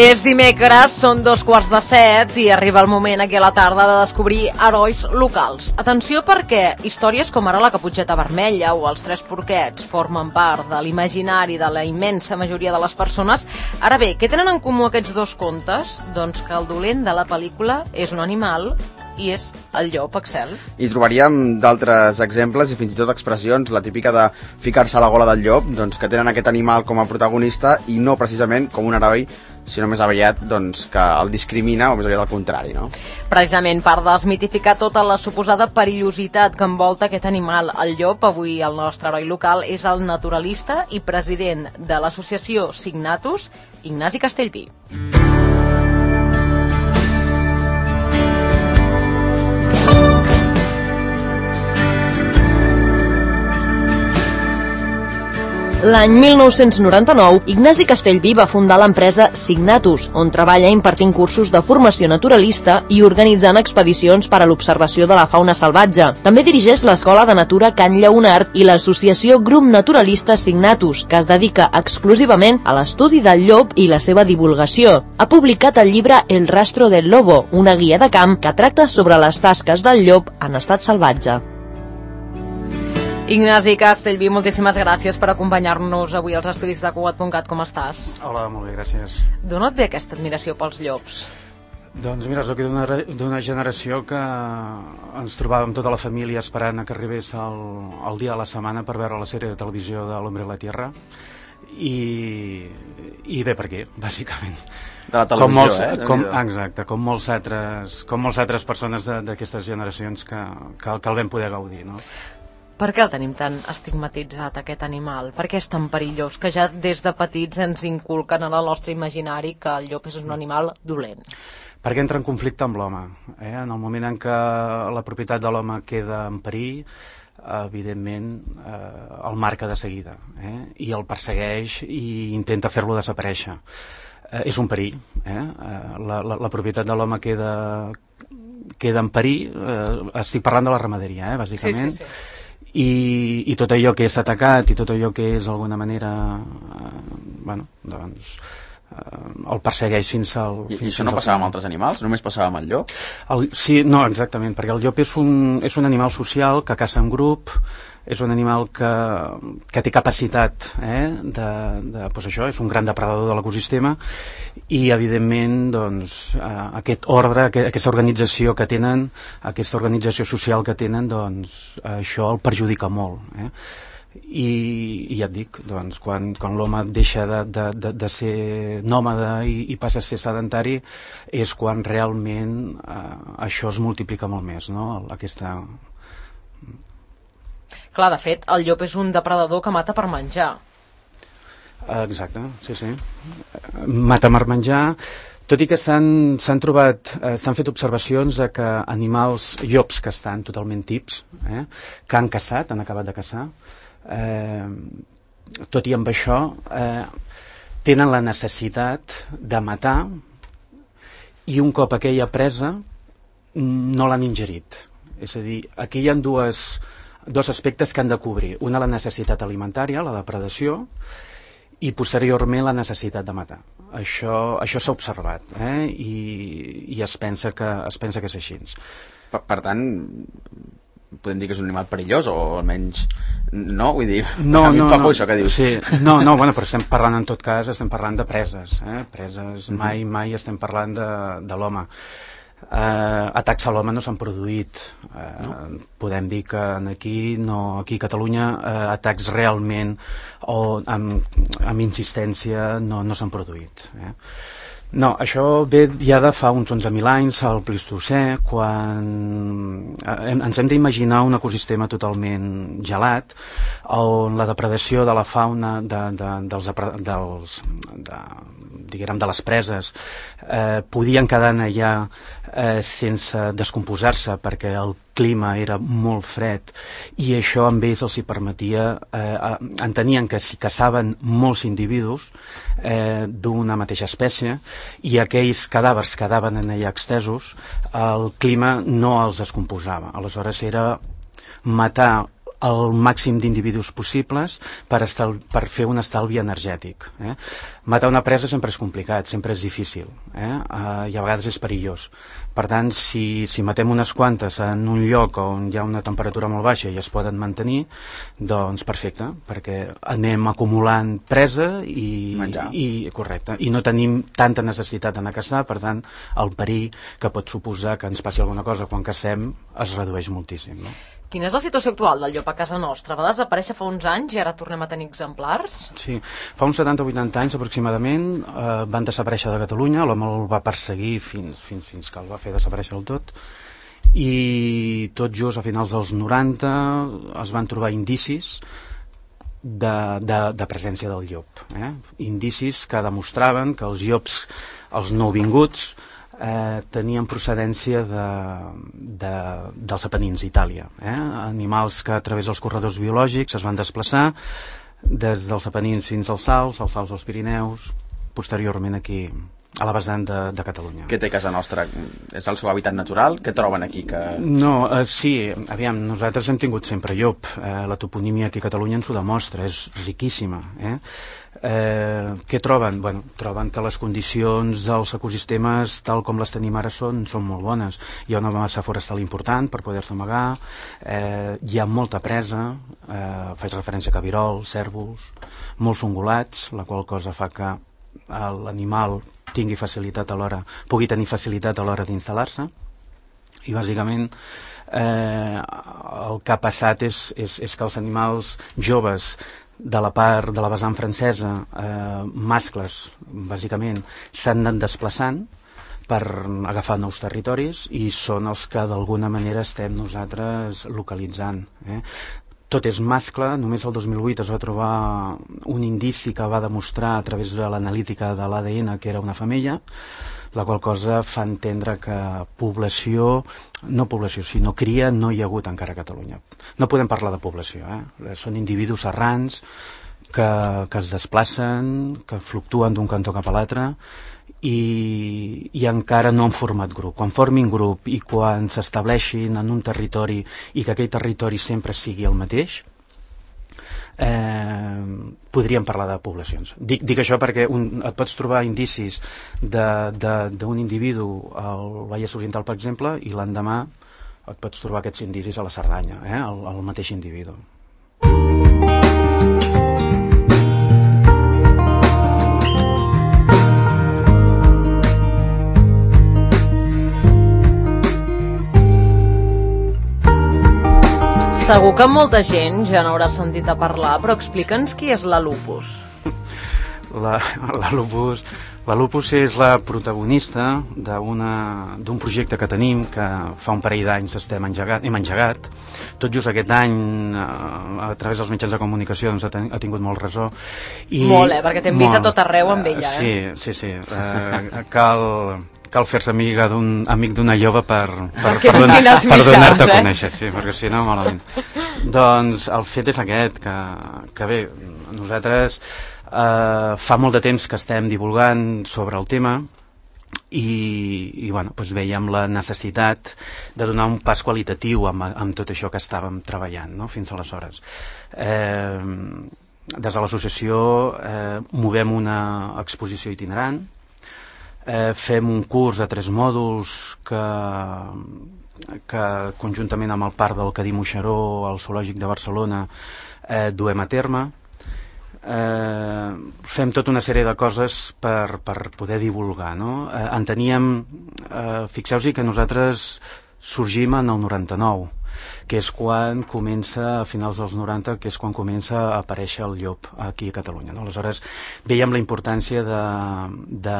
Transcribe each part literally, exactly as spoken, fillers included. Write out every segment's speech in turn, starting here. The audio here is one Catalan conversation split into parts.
És dimecres, són dos quarts de set i arriba el moment aquí a la tarda de descobrir herois locals. Atenció perquè històries com ara la Caputxeta Vermella o els Tres Porquets formen part de l'imaginari de la immensa majoria de les persones. Ara bé, què tenen en comú aquests dos contes? Doncs que el dolent de la pel·lícula és un animal i és el llop, Axel. I trobaríem d'altres exemples i fins i tot expressions, la típica de ficar-se a la gola del llop, doncs que tenen aquest animal com a protagonista i no precisament com un heroi, sinó més aviat doncs, que el discrimina o més aviat al contrari, no? Precisament per desmitificar tota la suposada perillositat que envolta aquest animal, el llop, avui el nostre heroi local és el naturalista i president de l'associació Signatus, Ignasi Castellví. L'any mil nou-cents noranta-nou, Ignasi Castellví va fundar l'empresa Signatus, on treballa impartint cursos de formació naturalista i organitzant expedicions per a l'observació de la fauna salvatge. També dirigeix l'Escola de Natura Can Lleonard i l'associació Grup Naturalista Signatus, que es dedica exclusivament a l'estudi del llop i la seva divulgació. Ha publicat el llibre El rastro del lobo, una guia de camp que tracta sobre les tasques del llop en estat salvatge. Ignasi Castellví, moltíssimes gràcies per acompanyar-nos avui als estudis de Cugat punt cat. Com estàs? Hola, molt bé, gràcies. D'on et ve aquesta admiració pels llops? Doncs mira, soc d'una, d'una generació que ens trobàvem tota la família esperant que arribés el, el dia de la setmana per veure la sèrie de televisió de l'Hombre de la Tierra i, i bé per què, bàsicament. De la televisió, com molts, eh? Com, exacte, com molts altres, com molts altres persones d'aquestes generacions que, que, que el vam poder gaudir, no? Per què el tenim tan estigmatitzat, aquest animal? Per què és tan perillós? Que ja des de petits ens inculquen en el nostre imaginari que el llop és un animal dolent. Perquè entra en conflicte amb l'home. Eh? En el moment en què la propietat de l'home queda en perill, evidentment eh, el marca de seguida, eh? I el persegueix i intenta fer-lo desaparèixer. Eh, és un perill. Eh? La, la, la propietat de l'home queda, queda en perill. Eh, estic parlant de la ramaderia, eh? Bàsicament. Sí, sí, sí. I, i tot allò que és atacat i tot allò que és d'alguna manera eh, bueno, doncs eh, el persegueix fins al... I, fins i això no passava amb altres animals? Només passava amb el llop? El, sí, no, exactament, perquè el llop és un, és un animal social que caça en grup, és un animal que, que té capacitat eh, de, de, doncs això, és un gran depredador de l'ecosistema i evidentment doncs, eh, aquest ordre, aquesta organització que tenen, aquesta organització social que tenen, doncs això el perjudica molt. Eh? I, i ja et dic, doncs, quan, quan l'home deixa de, de, de, de ser nòmada i, i passa a ser sedentari és quan realment eh, això es multiplica molt més, no? Aquesta... Clar, de fet, el llop és un depredador que mata per menjar. Exacte, sí, sí. Mata per menjar, tot i que s'han s'han trobat, eh, s'han fet observacions de que animals, llops que estan totalment tips, eh, que han caçat, han acabat de caçar, eh, tot i amb això, eh, tenen la necessitat de matar i un cop aquella presa no l'han ingerit. És a dir, aquí hi ha dues... dos aspectes que han de cobrir. Una, la necessitat alimentària, la depredació, i posteriorment la necessitat de matar. Això, això s'ha observat, eh? I, i es pensa que, es pensa que és així. Per, per tant, podem dir que és un animal perillós, o almenys no, vull dir, no, a mi no, em fa por no. això que dius. Sí. No, no, bueno, però estem parlant en tot cas, estem parlant de preses, eh? Preses, uh-huh. mai, mai estem parlant de, de l'home. Uh, atacs a l'home no s'han produït, uh, no? Podem dir que aquí, no, aquí a Catalunya uh, atacs realment o amb, amb insistència no, no s'han produït, eh? No, això ve ja de fa uns onze mil anys, al Plistocè, quan eh, ens hem d'imaginar un ecosistema totalment gelat, on la depredació de la fauna de, de, dels, dels, de, diguem, de les preses eh, podien quedar allà eh, sense descomposar-se perquè el clima era molt fred i això amb ells els hi permetia eh, entenien que si caçaven molts individus eh, d'una mateixa espècie i aquells cadàvers quedaven en allà extesos, el clima no els descomposava. Aleshores era matar el màxim d'individus possibles per, estal, per fer un estalvi energètic. Eh? Matar una presa sempre és complicat, sempre és difícil, eh? Uh, i a vegades és perillós. Per tant, si, si matem unes quantes en un lloc on hi ha una temperatura molt baixa i es poden mantenir, doncs perfecte, perquè anem acumulant presa i, i, correcte, i no tenim tanta necessitat d'anar a caçar, per tant, el perill que pot suposar que ens passi alguna cosa quan cacem es redueix moltíssim, no? Quina és la situació actual del llop a casa nostra? Va desaparèixer fa uns anys i ara tornem a tenir exemplars? Sí, fa uns setanta o vuitanta anys aproximadament eh, van desaparèixer de Catalunya, l'home el va perseguir fins, fins, fins que el va fer desaparèixer del tot, i tot just a finals dels noranta es van trobar indicis de, de, de presència del llop. Eh? Indicis que demostraven que els llops, els nouvinguts, Eh, tenien procedència de, de, dels Apenins, Itàlia. Eh? Animals que a través dels corredors biològics es van desplaçar des dels Apenins fins als Alps, als Alps dels Pirineus, posteriorment aquí a la vessant de, de Catalunya. Què té casa nostra? És el seu hàbitat natural? Què troben aquí? Que... No, eh, sí, aviam, nosaltres hem tingut sempre llop. Eh, la toponímia aquí a Catalunya ens ho demostra, és riquíssima. Eh? Eh, què troben? Bueno, troben que les condicions dels ecosistemes tal com les tenim ara són, són molt bones. Hi ha una massa forestal important per poder-se amagar, eh, hi ha molta presa, eh, faig referència a cabirols, cérvols, molts ungulats, la qual cosa fa que l'animal tingui facilitat a l'hora, pugui tenir facilitat a l'hora d'instal·lar-se, i bàsicament eh, el que ha passat és, és, és que els animals joves de la part de la vessant francesa, eh, mascles, bàsicament, s'han anat desplaçant per agafar nous territoris i són els que d'alguna manera estem nosaltres localitzant. Eh? Tot és mascle, només el dos mil vuit es va trobar un indici que va demostrar a través de l'analítica de l'A D N que era una femella, la qual cosa fa entendre que població, no població, sinó cria, no hi ha hagut encara a Catalunya. No podem parlar de població, eh? Són individus errants que, que es desplacen, que fluctuen d'un cantó cap a l'altre, I, i encara no han format grup. Quan formin grup i quan s'estableixin en un territori i que aquell territori sempre sigui el mateix, eh, podríem parlar de poblacions. Dic, dic això perquè un, et pots trobar indicis d'un individu al Vallès Oriental, per exemple, i l'endemà et pots trobar aquests indicis a la Cerdanya, eh, el, el mateix individu. Segur que molta gent ja n'haurà sentit a parlar, però explica'ns qui és la Lupus. La, la Lupus... La Lupus és la protagonista d'un projecte que tenim, que fa un parell d'anys estem engegat, hem engegat. Tot just aquest any, a, a través dels mitjans de comunicació, doncs, ha, ten, ha tingut molt ressò. I, molt, eh? Perquè t'hem vist a tot arreu amb ella. Eh? Sí, sí, sí. Eh, cal... cal fer-se amiga d'un amic d'una jove per, per, per, donar, per donar-te a conèixer, sí, perquè si no, malament. Doncs el fet és aquest, que, que bé, nosaltres eh, fa molt de temps que estem divulgant sobre el tema i, i bueno, doncs veiem la necessitat de donar un pas qualitatiu amb, amb tot això que estàvem treballant, no?, fins aleshores. Eh, des de l'associació eh, movem una exposició itinerant. Eh, fem un curs de tres mòduls que, que conjuntament amb el Parc del Cadí Moixeró, al Zoològic de Barcelona, eh, duem a terme. Eh, fem tota una sèrie de coses per, per poder divulgar, no? Eh, enteníem, eh, fixeu-vos que nosaltres sorgim en el noranta-nou, que és quan comença, a finals dels noranta, que és quan comença a aparèixer el llop aquí a Catalunya, no? Aleshores, veiem la importància de, de,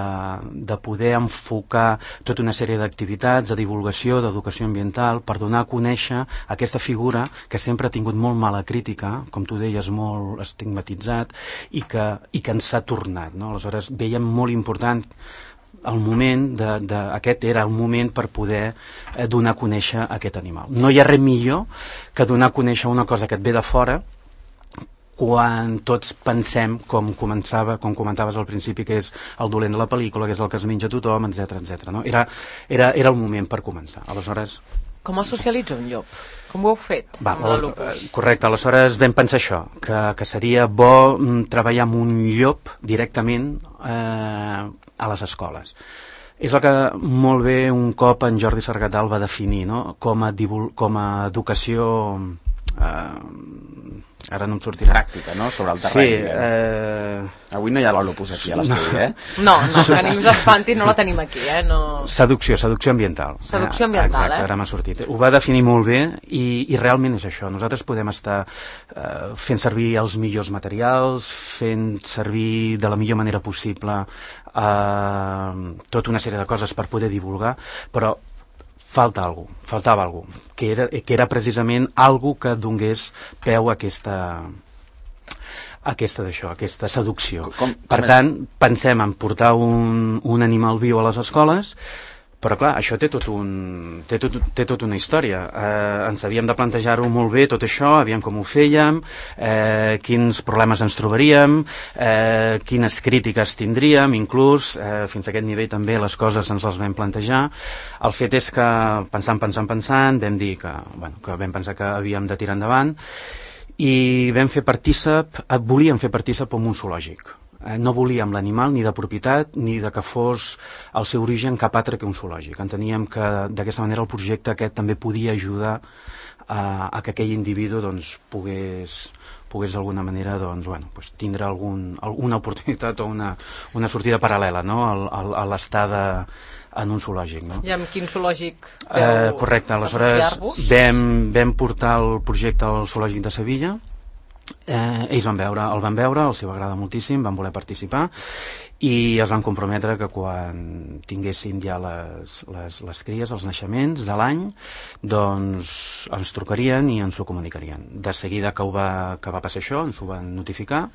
de poder enfocar tota una sèrie d'activitats, de divulgació, d'educació ambiental, per donar a conèixer aquesta figura que sempre ha tingut molt mala crítica, com tu deies, molt estigmatitzat, i que, i que ens ha tornat, no? Aleshores, veiem molt important el moment, de, de, aquest era el moment per poder eh, donar a conèixer aquest animal. No hi ha res millor que donar a conèixer una cosa que et ve de fora quan tots pensem, com començava, com comentaves al principi, que és el dolent de la pel·lícula, que és el que es menja tothom, etcètera, etcètera, no? Era, era, era el moment per començar. Aleshores, Com es socialitza un llop? Com ho heu fet Va, amb la lupus? Correcte, aleshores vam pensar això, que, que seria bo treballar amb un llop directament eh, a les escoles. És el que molt bé un cop en Jordi Sargatal va definir, no? com, a divul, com a educació... Eh, ara no em sortirà. Pràctica, no? Sobre el terreny. Sí, eh... Avui no hi ha la lupus aquí a l'estudi, eh? No, no, que ningú s'espanti, no la tenim aquí, eh? No... Seducció, seducció ambiental. Seducció ambiental, Exacte, eh? ara m'ha sortit. Ho va definir molt bé i, i realment és això. Nosaltres podem estar eh, fent servir els millors materials, fent servir de la millor manera possible eh, tota una sèrie de coses per poder divulgar, però falta algú, faltava algú, que era, que era precisament algú que donés peu a aquesta aquesta d'això, aquesta seducció. Com, com per tant, pensem en portar un, un animal viu a les escoles, però clar, això té tot un, té tot, té tot una història. Eh, ens havíem de plantejar-ho molt bé, tot això, aviam com ho fèiem, eh, quins problemes ens trobaríem, eh, quines crítiques tindríem, inclús, eh, fins a aquest nivell també les coses ens les vam plantejar. El fet és que, pensant, pensant, pensant, vam dir que, bueno, que vam pensar que havíem de tirar endavant i vam fer partícip, volíem fer partícip amb un zoològic. No volíem l'animal ni de propietat ni de que fos el seu origen cap altre que un zoològic. Enteníem que d'aquesta manera el projecte aquest també podia ajudar a, a que aquell individu doncs, pogués, pogués d'alguna manera doncs, bueno, doncs, tindre algun, alguna oportunitat o una, una sortida paral·lela, no? a, a l'estada en un zoològic. No? I amb quin zoològic veu eh, correcte, aleshores vam, vam portar el projecte al zoològic de Sevilla. Eh, ells van veure, el van veure, els va agradar moltíssim, van voler participar i es van comprometre que quan tinguessin ja les, les, les cries, els naixements de l'any, doncs ens trucarien i ens ho comunicarien. De seguida que, ho va, que va passar això, ens ho van notificar,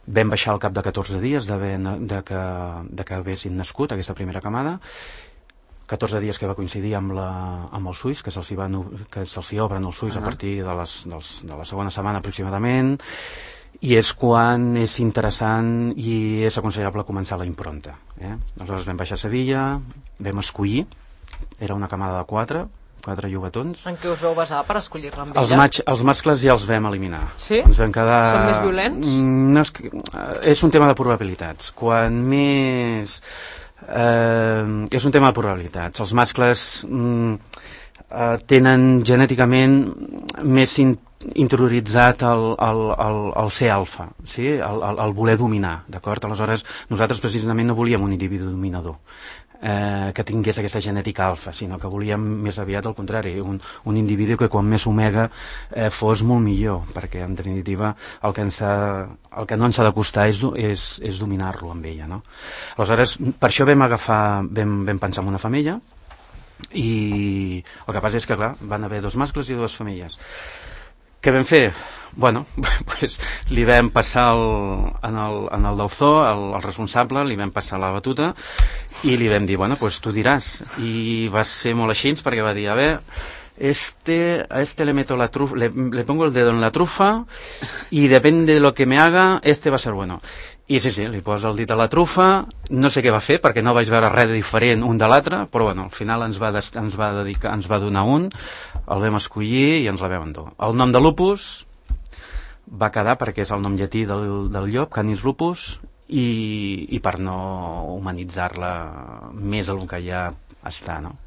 vam baixar al cap de catorze dies de, de, que, de que haguessin nascut aquesta primera camada, catorze dies que va coincidir amb, la, amb els ulls, que se'ls van, que se'ls obren els ulls uh -huh. a partir de, les, dels, de la segona setmana aproximadament, i és quan és interessant i és aconsellable començar la impronta. Eh? Aleshores vam baixar a Sevilla, vam escollir, era una camada de quatre, quatre llobatons. En què us veu basar per escollir-la amb ella? Els, matx, els mascles ja els vam eliminar. Sí? Ens vam quedar... Són més violents? No, és, és un tema de probabilitats. Quan més... Eh, és un tema de probabilitats. Els mascles mm, eh, tenen genèticament més in, interioritzat el, el, el, el ser alfa, sí? el, el, el voler dominar, d'acord? Aleshores, nosaltres precisament no volíem un individu dominador eh, que tingués aquesta genètica alfa, sinó que volíem més aviat al contrari, un, un individu que quan més omega eh, fos molt millor, perquè en definitiva el que, ens ha, el que no ens ha de costar és, és, és dominar-lo amb ella, no? Aleshores, per això vam agafar, vam, vam pensar en una femella i el que passa és que clar, van haver dos mascles i dues femelles. Què vam fer? Bueno, pues, li vam passar el, en, el, en el deutor, el, el responsable, li vam passar la batuta i li vam dir, bueno, pues tu diràs. I va ser molt així perquè va dir, a ver, este, a este le meto la trufa, le, le pongo el dedo en la trufa y depende de lo que me haga, este va a ser bueno. I sí, sí, li posa el dit a la trufa, no sé què va fer perquè no vaig veure res de diferent un de l'altre, però bueno, al final ens va, des, ens va dedicar, ens va donar un, el vam escollir i ens la vam endur. El nom de Lupus va quedar perquè és el nom llatí del, del llop, Canis lupus, i, i per no humanitzar-la més del que ja està, no?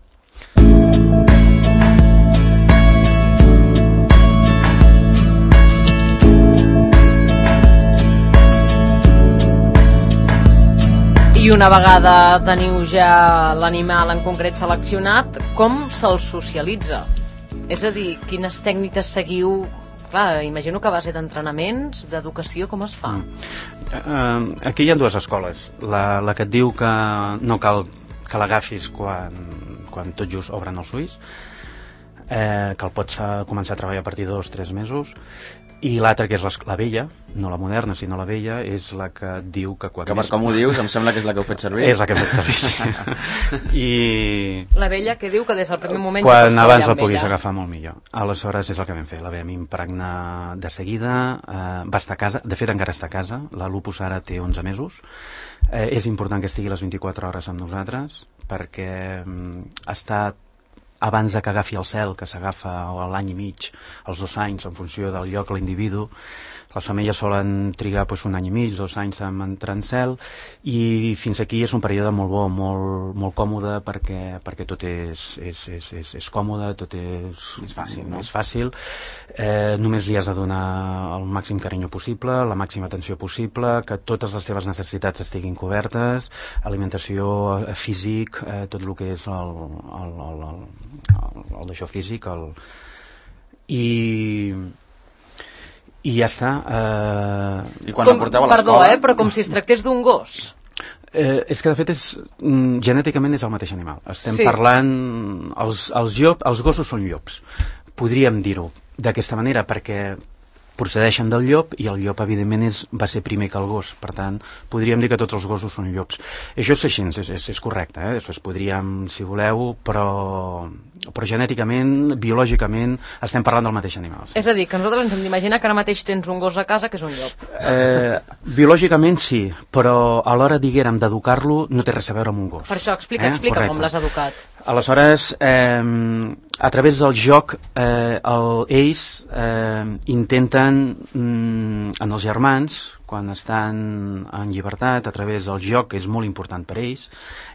I una vegada teniu ja l'animal en concret seleccionat, com se'l socialitza? És a dir, quines tècniques seguiu? Clar, imagino que a base d'entrenaments, d'educació, com es fa? Mm. Uh, aquí hi ha dues escoles. La, la que et diu que no cal que l'agafis quan, quan tot just obren els ulls, eh, que el pots començar a treballar a partir de dos o tres mesos, i l'altra, que és la vella, no la moderna, sinó la vella, és la que et diu que quan... Que per com ho dius, em sembla que és la que heu fet servir. És la que heu fet servir, sí. I... La vella que diu que des del primer moment... Quan abans la puguis agafar molt millor. Aleshores és el que vam fer, la vam impregnar de seguida, eh, va estar a casa, de fet encara està a casa, la Lupus ara té onze mesos, eh, és important que estigui les vint-i-quatre hores amb nosaltres, perquè mm, ha estat abans de que agafi el cel, que s'agafa a l'any i mig, als dos anys, en funció del lloc, l'individu. Les femelles solen trigar doncs, un any i mig, dos anys en entrar en cel, i fins aquí és un període molt bo, molt, molt còmode, perquè, perquè tot és, és, és, és, és còmode, tot és, és fàcil. No? És fàcil. Eh, només li has de donar el màxim carinyo possible, la màxima atenció possible, que totes les seves necessitats estiguin cobertes, alimentació, físic, eh, tot el que és el, el, el, el, el, el d'això físic, el... i... i ja està. Eh... I quan com, la porteu a l'escola... Perdó, eh, però com si es tractés d'un gos. Eh, és que de fet és, mm, genèticament és el mateix animal. Estem Sí. parlant... Els, els, llop, els gossos són llops. Podríem dir-ho d'aquesta manera perquè procedeixen del llop i el llop evidentment és, va ser primer que el gos, per tant podríem dir que tots els gossos són llops. Això és així, és, és, és correcte, eh? Després podríem, si voleu, però, però genèticament, biològicament estem parlant del mateix animal. Sí. És a dir, que nosaltres ens hem d'imaginar que ara mateix tens un gos a casa que és un llop. Eh, biològicament sí, però a l'hora, diguérem, d'educar-lo no té res a veure amb un gos. Per això, explica, eh? explica Correcte. com l'has educat. Aleshores, eh, a través del joc, eh, el, ells eh, intenten, mm, en els germans, quan estan en llibertat, a través del joc, que és molt important per ells,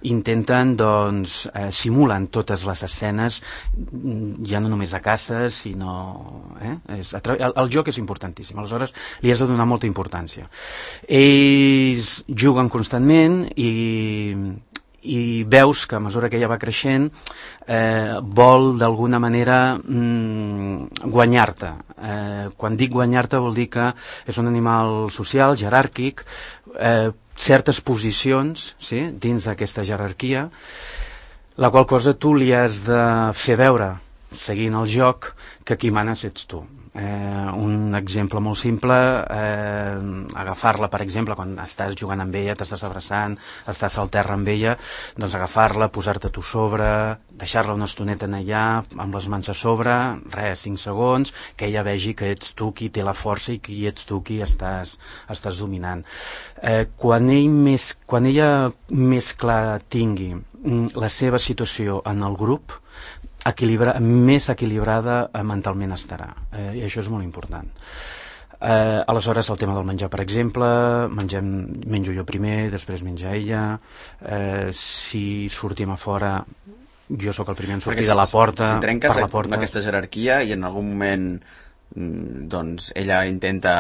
intenten, doncs, eh, simulen totes les escenes, ja no només a caça, sinó... Eh? És, a tra... el, el joc és importantíssim, aleshores li has de donar molta importància. Ells juguen constantment i... i veus que a mesura que ella va creixent eh, vol d'alguna manera mm, guanyar-te. Eh, quan dic guanyar-te vol dir que és un animal social, jeràrquic, eh, certes posicions, sí, dins d'aquesta jerarquia, la qual cosa tu li has de fer veure, seguint el joc, que qui manes ets tu. Eh, un exemple molt simple, eh, agafar-la, per exemple, quan estàs jugant amb ella, t'estàs abraçant, estàs al terra amb ella, doncs agafar-la, posar-te tu sobre, deixar-la una estoneta en allà, amb les mans a sobre, res, cinc segons, que ella vegi que ets tu qui té la força i qui ets tu qui estàs, estàs dominant. Eh, quan, ell més, quan ella més clar tingui la seva situació en el grup, equilibra, més equilibrada eh, mentalment estarà, eh, i això és molt important. Eh, aleshores el tema del menjar, per exemple, mengem, menjo jo primer, després menja ella, eh, si sortim a fora jo sóc el primer en sortir si, de la porta, si trenques per la porta. aquesta jerarquia i en algun moment doncs ella intenta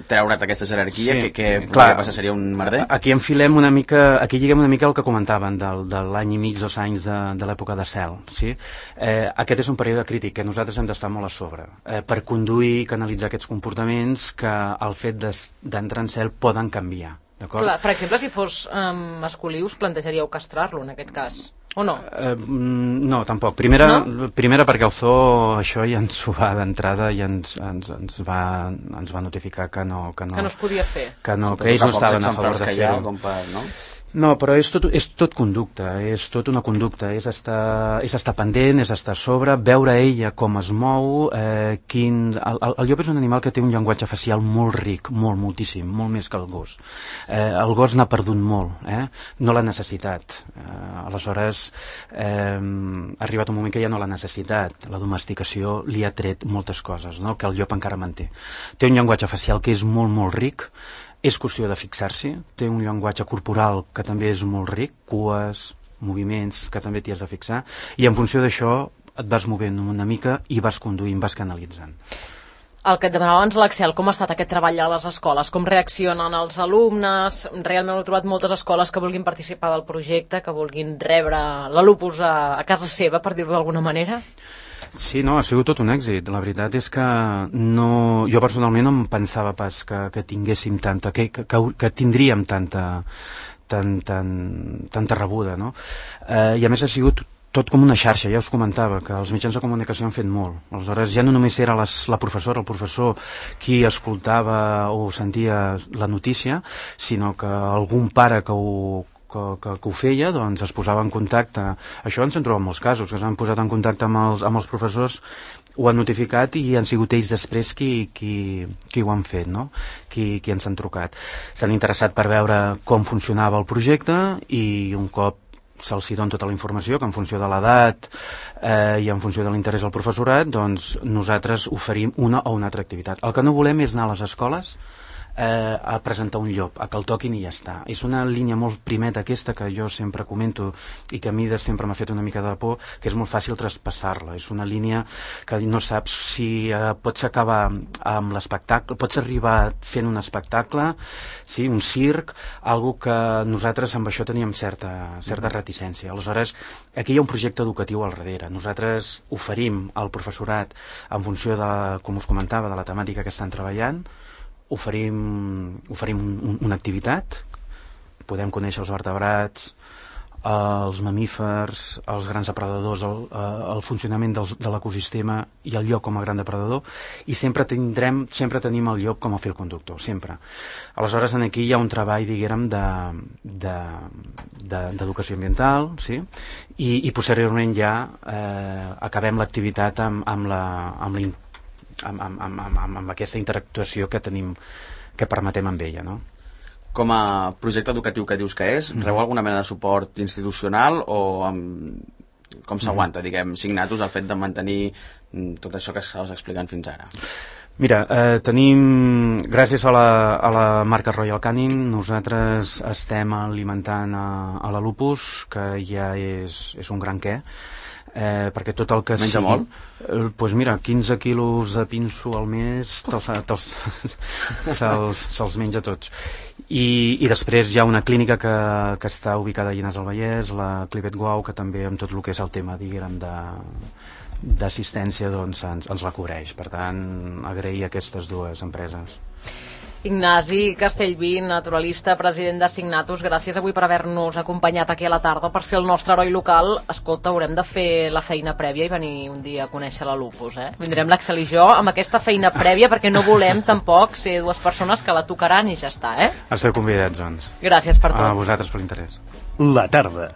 treure't aquesta jerarquia, sí, que, que podria passar, seria un merder? Aquí enfilem una mica, aquí lliguem una mica el que comentaven del, de l'any i mig, dos anys de, de l'època de cel, sí? Eh, aquest és un període crític que nosaltres hem d'estar molt a sobre eh, per conduir i canalitzar aquests comportaments que el fet d'entrar en cel poden canviar. Clar, per exemple, si fos um, masculí us plantejaríeu castrar-lo en aquest cas, o no? Eh, no, tampoc. Primera, no? Primera perquè el zoo això ja ens ho va d'entrada i ens, ens, ens, va, ens va notificar que no, que no, que no es podia fer. Que, no, que ells no estaven a favor de fer-ho. No? No, però és tot, és tot conducta, és tot una conducta, és estar, és estar pendent, és estar a sobre, veure ella com es mou, eh, quin... El, el, el llop és un animal que té un llenguatge facial molt ric, molt, moltíssim, molt més que el gos. Eh, el gos n'ha perdut molt, eh? No l'ha necessitat. Eh, aleshores, eh, ha arribat un moment que ja no l'ha necessitat. La domesticació li ha tret moltes coses, no?, que el llop encara manté. Té un llenguatge facial que és molt, molt ric, és qüestió de fixar-s'hi, té un llenguatge corporal que també és molt ric, cues, moviments, que també t'hi has de fixar, i en funció d'això et vas movent una mica i vas conduint, vas canalitzant. El que et demanava abans l'Axel, com ha estat aquest treball a les escoles? Com reaccionen els alumnes? Realment he trobat moltes escoles que vulguin participar del projecte, que vulguin rebre l'Alupus a, a casa seva, per dir-ho d'alguna manera? Sí, no, ha sigut tot un èxit. La veritat és que no, jo personalment no em pensava pas que, que tinguéssim tanta, que, que, que tindríem tanta, tan, tan, tanta rebuda, no? Eh, I a més ha sigut tot com una xarxa, ja us comentava, que els mitjans de comunicació han fet molt. Aleshores ja no només era les, la professora, el professor qui escoltava o sentia la notícia, sinó que algun pare que ho Que, que, que ho feia, doncs es posava en contacte. Això ens en trobem molts casos, que s'han posat en contacte amb els, amb els professors, ho han notificat i han sigut ells després qui, qui, qui ho han fet, no? Qui, qui ens han trucat. S'han interessat per veure com funcionava el projecte i un cop se'ls hi dona tota la informació, que en funció de l'edat eh, i en funció de l'interès del professorat, doncs nosaltres oferim una o una altra activitat. El que no volem és anar a les escoles eh, a presentar un llop, a que el toquin i ja està. És una línia molt primeta aquesta que jo sempre comento i que a mi de sempre m'ha fet una mica de por, que és molt fàcil traspassar-la. És una línia que no saps si eh, pots acabar amb l'espectacle, pots arribar fent un espectacle, sí, un circ, algo que nosaltres amb això teníem certa, certa reticència. Aleshores, aquí hi ha un projecte educatiu al darrere. Nosaltres oferim al professorat, en funció de, com us comentava, de la temàtica que estan treballant, oferim, oferim un, una activitat, podem conèixer els vertebrats, els mamífers, els grans depredadors, el, el funcionament del, de l'ecosistema i el llop com a gran depredador, i sempre tindrem, sempre tenim el llop com a fil conductor, sempre. Aleshores, aquí hi ha un treball, diguem, d'educació ambiental, sí? I, i posteriorment ja eh, acabem l'activitat amb, amb la, amb la Amb, amb, amb, amb, amb aquesta interactuació que tenim, que permetem amb ella, no? Com a projecte educatiu que dius que és, mm-hmm. rebeu alguna mena de suport institucional o amb... com s'aguanta, mm-hmm. diguem, Signatus el fet de mantenir tot això que estàs explicant fins ara? Mira, eh, tenim, gràcies a la, a la marca Royal Canin, nosaltres estem alimentant a, a la Lupus, que ja és, és un gran què, eh, perquè tot el que menja sigui, molt? Eh, pues mira, quinze quilos de pinso al mes se'ls se menja tots. I, i després hi ha una clínica que, que està ubicada a Llinars del Vallès, la Clivet Guau, que també amb tot el que és el tema, diguem, de d'assistència, doncs ens, ens la cobreix. Per tant, agrair aquestes dues empreses. Ignasi Castellví, naturalista, president de Signatus, gràcies avui per haver-nos acompanyat aquí a la tarda, per ser el nostre heroi local. Escolta, haurem de fer la feina prèvia i venir un dia a conèixer la Lupus, eh? Vindrem l'Axel i jo amb aquesta feina prèvia, perquè no volem tampoc ser dues persones que la tocaran i ja està, eh? Esteu convidats, doncs. Gràcies per tot. A vosaltres per l'interès. La tarda.